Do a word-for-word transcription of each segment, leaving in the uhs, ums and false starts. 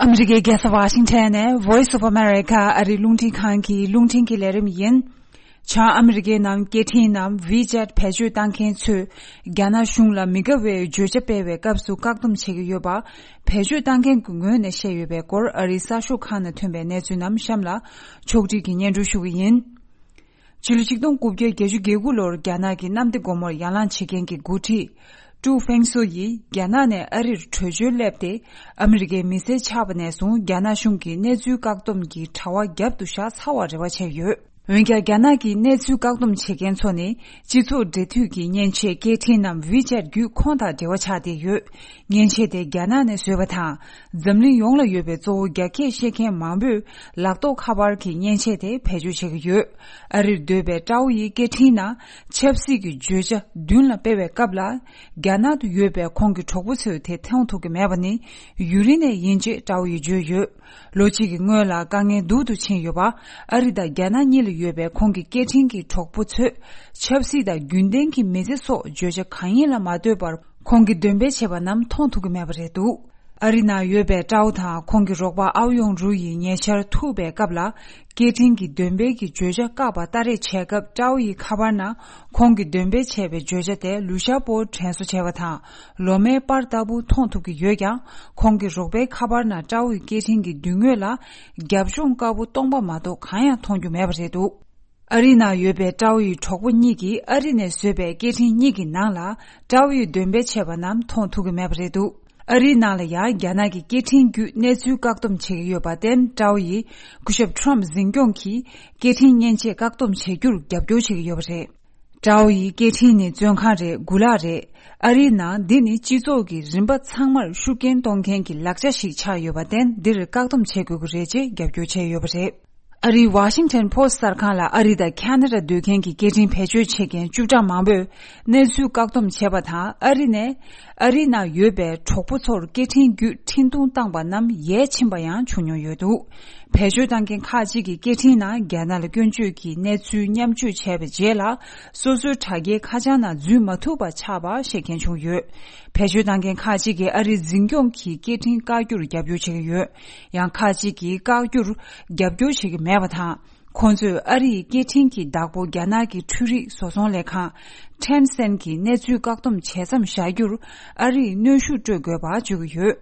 ཨ་མི་རི་ཀའི་རྒྱལ་ས་ཝ་ཤིང་ཊོན་ནས་Voice of America ཨ་རིའི་རླུང་འཕྲིན་ཁང་གི་རླུང་འཕྲིན་གྱི་ལས་རིམ་ཡིན། བྱང་ཨ་མི་རི་ཀའི་ནང་སྐད་འཕྲིན་ནམ་WeChat བེད་སྤྱོད་བཏང་མཁན་ཚོས་རྒྱ་ནག་གཞུང་ལ་མི་དགའ་བའི་བརྗོད་བྱ་སྤེལ་བའི་སྐབས་སུ་བཀག་སྡོམ་བྱེད་ཀྱི་ཡོད་པ། བེད་སྤྱོད་བཏང་མཁན་གྱི་ངོས་ནས་བཤད་ཡོད་པའི་སྐོར་ཨ་རིའི་གསར་ཤོག་ཁག་ནང་ཐོན་པའི་གནས་ཚུལ་རྣམས་གཤམ་ལ་ཕྱོགས་སྒྲིག་གིས་སྙན་སྒྲོན་ཞུ་གི་ཡིན། ཕྱི་ལོ་ཆིག་སྟོང་དགུ་བརྒྱ་བརྒྱད་ཅུ་གྱ་དགུ་ལོར་རྒྱ་ནག་གི་གནམ་བདེ་སྒོ་མོར་ཡར་ལངས་བྱེད་མཁན་གྱི་འགོ་ཁྲིད་ཀྲུའུ་ཧྥེང་སུའུ་ཡིས་རྒྱ་ནག་ནས་ཨ་རིར་བྲོས་བྱོལ་སླེབས་ཏེ། ཨ་མི་རི་ཀའི་མི་སེར་ཆགས་པ་ནས་བཟུང་རྒྱ་ནག་གཞུང་གིས་གནས་ཚུལ་བཀག་སྡོམ་གྱི་དྲ་བ་རྒྱབ་ཏུ་བཞག་ཚར་བར་རེ་བ་བྱས་ཡོད། འོན་ཀྱང་རྒྱ་ནག་གིས་གནས་ཚུལ་བཀག་སྡོམ་བྱེད་མཁན་ཚོ་ནི་སྤྱི་ཚོགས་འབྲེལ་མཐུད་ཀྱི་མཉེན་ཆས་སྐད་འཕྲིན་ནམ་WeChat བརྒྱུད་ཁོང་དང་འབྲེལ་བ་ཆགས་བསྡད་ཡོད། མཉེན་ཆས་དེ་རྒྱ་ནག་ནས་བཟོས་པ་དང་། འཛམ་གླིང་ཡོངས་ལ་ཡོད་པའི་གཙོ་བོ་རྒྱ་སྐད་བཤད་མཁན་མང་པོས་ལག་ཐོགས་ཁ་པར་གྱི་མཉེན་ཆས་དེ་བེད་སྤྱོད་བྱེད་ཀྱི་ཡོད། ཨ་རིར་སྡོད་པའི་ཀྲའོ་ཡིས་སྐད་འཕྲིན་ནང་ཆབ་སྲིད་ཀྱི་བརྗོད་བྱ་མདུན་ལ་སྤེལ་བའི་སྐབས་ལ། རྒྱ་ནག་ཏུ་ཡོད་པའི་ཁོང་གི་གྲོགས་པོ་ཚོས་དེ་མཐོང་ཐུབ་ཀྱི་མེད་པ་ནི་ཡུན་རིང་ནས་ཡིན་ཅེས་ཀྲའོ་ཡིས་བརྗོད་ཡོད། ལོ་གཅིག་གི་སྔོན་ལ་དཀའ་ངལ་སྡུག་ཏུ་ཕྱིན་ཡོད་པ། ཨ་རི་དང་རྒྱ་ནག་གཉིས་ལ་ཡོད་པའི་ཁོང་གི་སྐད་འཕྲིན་གྱི་གྲོགས་པོ་ཚོས་ཆབ་སྲིད་དང་རྒྱུན་ལྡན་གྱི་མི་ཚེ་སོགས་བརྗོད་བྱ་གང་ཡིན་ལ་མ་ལྟོས་པར་ཁོང་གིས་འདོན་སྤེལ་བྱས་པ་རྣམས་མཐོང་ཐུབ་ཀྱི་མེད་པ་རེད་འདུག་ཨ་རི་ནང་ཡོད་པའི་ཀྲའོ་དང་ཁོང་གི་རོགས་པ་ཨའོ་ཡོང་རུའུ་ཡིས་ཉེ་ཆར་ཐུག་པའི་སྐབས་ལ། སྐད་འཕྲིན་གྱི་འདོན་སྤེལ་གྱི་བརྗོད་བྱ་བཀག་པ་ལྟ་རེས་བྱས་སྐབས་ཀྲའོ་ཡི་ཁ་པར་ནང་ཁོང་གིས་འདོན་སྤེལ་བྱས་པའི་བརྗོད་བྱ་དེ་ལུ་ཤ་པོར་དྲན་གསོ་བྱས་པ་དང་། ལོ་མའི་པར་ལྟ་བུ་མཐོང་ཐུབ་ཀྱི་ཡོད་ཀྱང་། ཁོང་གི་རོགས་པའི་ཁ་པར་ནང་ཀྲའོ་ཡི་སྐད་འཕྲིན་གྱི་མདུན་ངོས་ལ་རྒྱབ་ལྗོངས་དཀར་པོ་སྟོང་པ་མ་གཏོགས་གང་ཡང་མཐོང་རྒྱུ་མེད་པ་རེད་འདུག་ཨ་རི་ནང་ཡོད་པའི་ཀྲའོ་ཡི་གྲོགས་པོ་གཉིས་ཀྱིས་ཨ་རི་ནས་བཟོས་པའི་སྐད་འཕྲིན་གཉིས་ཀྱི་ནང་ལ་ཀྲའོ་ཡིས་འདོན་སྤེལ་བྱས་པ་རྣམས་མཐོང་ཐུབ་ཀྱི་མེད་པ་རེད་འདུག་ཨ་རིའི་ནང་ལ་ཡང་རྒྱ་ནག་གི་སྐད་འཕྲིན་བརྒྱུད་གནས་ཚུལ་བཀག་སྡོམ་བྱེད་ཀྱི་ཡོད་པར་བརྟེན། ཀྲའོ་ཡིས་སྐུ་ཞབས་ཁྲོམ་འཛིན་སྐྱོང་གིས་སྐད་འཕྲིན་མཉེན་ཆས་བཀག་སྡོམ་བྱེད་རྒྱུར་རྒྱབ་སྐྱོར་བྱེད་ཀྱི་ཡོད་པ་རེད། ཀྲའོ་ཡི་སྐད་འཕྲིན་ནི་བཙོན་ཁང་རེད། གུ་ལག་རེད། ཨ་རིའི་ནང་འདི་ནི་སྤྱི་ཚོགས་ཀྱི་རིམ་པ་ཚང་མར་ཤུགས་རྐྱེན་གཏོང་མཁན་གྱི་ལག་ཆ་ཞིག་ཆགས་ཡོད་པར་བརྟེན། འདིར་བཀག་སྡོམ་བྱེད་དགོས་ཀྱི་རེད་ཅེས་རྒྱབ་སྐྱོར་བྱས་ཡོད་པ་རེད། ཨ་རིའི་ཝ་ཤིང་ཊོན་པོ་སི་གསར་ཁང་ལ་ཨ་རི་དང་ཁ་ན་ཌ་སྡོད་མཁན་གྱི་སྐད་འཕྲིན་བེད་སྤྱོད་བྱེད་མཁན་བཅུ་ཕྲག་མང་པོས་གནས་ཚུལ་བཀག་སྡོམ་བྱས་པ་དང་། ཨ་རི་ནས་ཨ་རིའི་ནང་ཡོད་པའི་གྲོགས་པོ་ཚོར་སྐད་འཕྲིན་བརྒྱུད་འཕྲིན་ཐུང་བཏང་པ་རྣམས་ཡལ་ཕྱིན་པ་ཡང་བྱུང་མྱོང་ཡོད་འདུག་བེད་སྤྱོད་བཏང་མཁན་ཁག་ཅིག་གིས་སྐད་འཕྲིན་ནང་རྒྱ་ནག་ལ་སྐྱོན་བརྗོད་ཀྱི་གནས་ཚུལ་མཉམ་སྤྱོད་བྱས་པའི་རྗེས་ལ། སོ་སོའི་དྲ་རྒྱའི་ཁ་བྱང་ནང་འཛུལ་མ་ཐུབ་པ་ཆགས་པ་བཤད་མཁན་བྱུང་ཡོད། བེད་སྤྱོད་བཏང་མཁན་ཁག་ཅིག་གིས་ཨ་རིའི་འཛིན་སྐྱོང་གིས་སྐད་འཕྲིན་བཀག་རྒྱུར་རྒྱབ་སྐྱོར་བྱེད་ཀྱི་ཡོད། ཡང་ཁག་ཅིག་གིས་བཀག་རྒྱུར་རྒྱབ་སྐྱོར་བྱེད་ཀྱི་མེད་པ་དང་། ཁོང་ཚོས་ཨ་རི་ཡི་སྐད་འཕྲིན་གྱི་བདག་པོ་རྒྱ་ནག་གི་འཕྲུལ་རིག་བཟོ་ཚོང་ལས་ཁང་Tencent གྱི་གནས་ཚུལ་བཀག་སྡོམ་བྱེད་མཚམས་བཞག་རྒྱུར་ཨ་རི་ཡིས་གནོན་ཤུགས་སྤྲོད་དགོས་པ་བརྗོད་ཀྱི་ཡོད།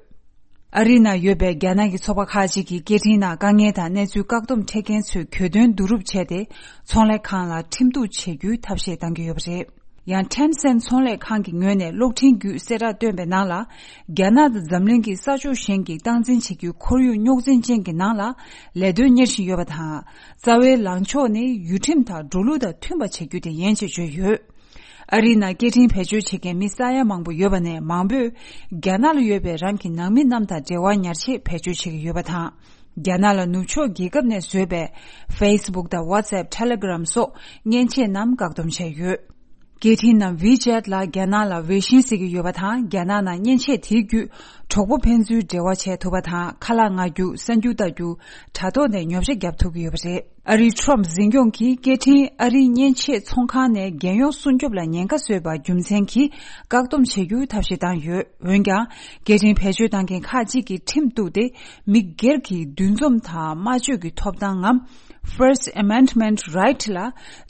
ཨ་རིའི་ནང་ཡོད་པའི་རྒྱ་ནག་གི་ཚོགས་པ་ཁག་ཅིག་གིས་སྐད་འཕྲིན་ནང་དཀའ་ངལ་དང་གནས་ཚུལ་བཀག་སྡོམ་འཕྲད་མཁན་ཚོའི་གྱོད་དོན་བསྡུ་རུབ་བྱས་ཏེ། ཚོང་ལས་ཁང་ལ་ཁྲིམས་གཏུག་བྱེད་རྒྱུའི་ཐབས་ཤེས་གཏང་གི་ཡོད་པ་རེད། ཡང་Tencent ཚོང་ལས་ཁང་གི་ངོས་ནས་གློག་འཕྲིན་བརྒྱུད་གསལ་བསྒྲགས་བཏོན་པའི་ནང་ལ། རྒྱ་ནག་དང་འཛམ་གླིང་གི་ས་ཕྱོགས་གཞན་གྱི་སྟངས་འཛིན་བྱེད་རྒྱུའི་ཁོར་ཡུག་རྙོག་འཛིང་ཅན་གྱི་ནང་ལ་ལས་དོན་གཉེར་བཞིན་ཡོད་པ་དང་། རྩ་བའི་ལངས་ཕྱོགས་ནི་ཡུལ་ཁྲིམས་དང་འགྲོ་ལུགས་དང་མཐུན་པ་བྱེད་རྒྱུ་དེ་ཡིན་ཅེས་བརྗོད་ཡོད། ཨ་རིའི་ནང་སྐད་འཕྲིན་བེད་སྤྱོད་བྱེད་མཁན་མི་ས་ཡ་མང་པོ་ཡོད་པ་ནས་མང་པོས་རྒྱ་ནག་ལ་ཡོད་པའི་རང་གི་ནང་མི་རྣམས་དང་འབྲེལ་བ་ཉར་ཆེད་བེད་སྤྱོད་བྱེད་ཀྱི་ཡོད་པ་དང་། རྒྱ་ནག་ལ་ནུབ་ཕྱོགས་རྒྱལ་ཁབ་ནས་བཟོས་པའི་Facebook དང་WhatsApp Telegram སོགས་མཉེན་ཆས་རྣམས་བཀག་སྡོམ་བྱས་ཡོད། སྐད་འཕྲིན་ནམ་WeChat ལ་རྒྱ་ནག་ལ་Weixin ཟེར་གྱི་ཡོད་པ་དང་། རྒྱ་ནག་ནང་མཉེན་ཆས་དེའི་བརྒྱུད་གྲོགས་པོ་ཕན་ཚུན་འབྲེལ་བ་བྱས་ཐུབ་པ་དང་། ཁ་ལག་མངགས་རྒྱུ། གསར་འགྱུར་ལྟ་རྒྱུ། དྲ་ཐོག་ནས་ཉོ་ཆ་བརྒྱབ་ཐུབ་ཀྱི་ཡོད་པ་རེད། ཨ་རིའི་ཁྲོམ་འཛིན་སྐྱོང་གིས་སྐད་འཕྲིན་ཨ་རིའི་མཉེན་ཆས་ཚོང་ཁང་ནས་རྒྱལ་ཡོངས་སྲུང་སྐྱོབ་ལ་ཉེན་ཁ་བཟོས་པ་རྒྱུ་མཚན་གྱིས་བཀག་སྡོམ་བྱེད་རྒྱུའི་ཐབས་ཤེས་བཏང་ཡོད། འོན་ཀྱང་། སྐད་འཕྲིན་བེད་སྤྱོད་བཏང་མཁན་ཁག་ཅིག་གིས་ཁྲིམས་གཏུགས་ཏེ། མི་སྒེར་གྱི་འདུ་འཛོམས་དང་སྨྲ་བརྗོད་ཀྱི་ཐོབ་ཐང་ངམ། First Amendment Right ལ་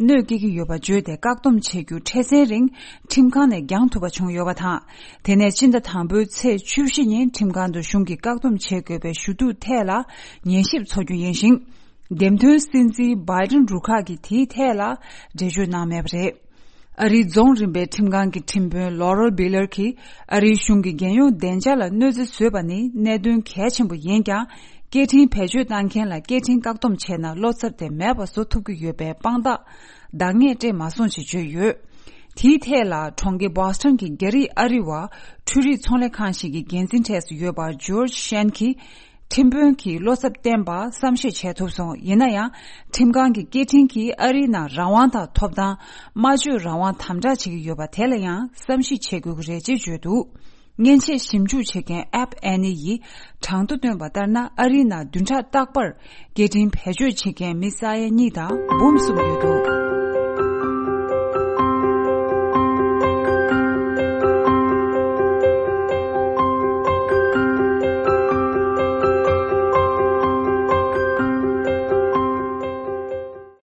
གནོད་སྐྱེལ་གྱི་ཡོད་པ་བརྗོད་དེ། བཀག་སྡོམ་བྱེད་རྒྱུ་འཕྲལ་སེལ་རིང་ཁྲིམས་ཁང་ནས་འགྱངས་ཐུབ་པ་བྱུང་ཡོད་པ་དང་། དེ་ནས་སྤྱི་ཟླ་དང་པོའི་ཚེས་བཅུ་བཞི་ཉིན་ཁྲིམས་ཁང་དུ་གཞུང་གིས་བཀག་སྡོམ་བྱེད་དགོས་པའི་ཞུ་གཏུག་ཐད་ལ་ཉན་ཞིབ་འཚོགས་རྒྱུ་ཡིན་ཞིང་། འདེམས་ཐོན་སྲིད་འཛིན་Biden རུ་ཁག་གིས་དེའི་ཐད་ལ་འགྲེལ་བརྗོད་གནང་མེད་པ་རེད། ཨ་རིའི་རྫོང་རིམ་པའི་ཁྲིམས་ཁང་གི་ཁྲིམས་དཔོན་Laurel Beller གྱིས། ཨ་རིའི་གཞུང་གིས་རྒྱལ་ཡོངས་བདེ་འཇགས་ལ་གནོད་འཚེ་བཟོས་པ་ནི་གནད་དོན་གལ་ཆེན་པོ་ཡིན་ཀྱང་། སྐད་འཕྲིན་བེད་སྤྱོད་བཏང་མཁན་ལ་སྐད་འཕྲིན་བཀག་སྡོམ་བྱས་ན། བློ་འཚབ་དེ་མེད་པ་བཟོ་ཐུབ་ཀྱི་ཡོད་པའི་དཔང་རྟགས་འདང་ངེས་སྤྲད་མ་སོང་ཞེས་བརྗོད་ཡོད། དེའི་ཐད་ལ། གྲོང་ཁྱེར་Boston གྱི་རྒྱ་རིགས་ཨ་རི་བ། འཕྲུལ་རིག་ཚོང་ལས་ཁང་ཞིག་གི་འགན་འཛིན་གྲས་སུ་ཡོད་པ་George Shen གྱིས། ཁྲིམས་དཔོན་གྱིས་བློ་འཚབ་བསྟན་པ་བསམ་ཤེས་བྱས་ཐུབ་སོང་། ཡིན་ན་ཡང་། ཁྲིམས་ཁང་གིས་སྐད་འཕྲིན་གྱིས་ཨ་རིའི་ནང་རང་དབང་དང་ཐོབ་ཐང་། སྨྲ་བརྗོད་རང་དབང་དམ་དྲག་བྱེད་ཀྱི་ཡོད་པ་དེ་ལ་ཡང་བསམ་གཞིག་བྱེད་དགོས་ཀྱི་རེད་ཅེས་བརྗོད་འདུག་མཉེན་ཆས་ཞིབ་འཇུག་བྱེད་མཁན་App Annie ཡིས་གྲངས་ཐོ་བཏོན་པ་ལྟར་ན། ཨ་རིའི་ནང་བདུན་ཕྲག་རྟག་པར་སྐད་འཕྲིན་བེད་སྤྱོད་བྱེད་མཁན་མི་ས་ཡ་གཉིས་དང་འབུམ་གསུམ་ཡོད་འདུག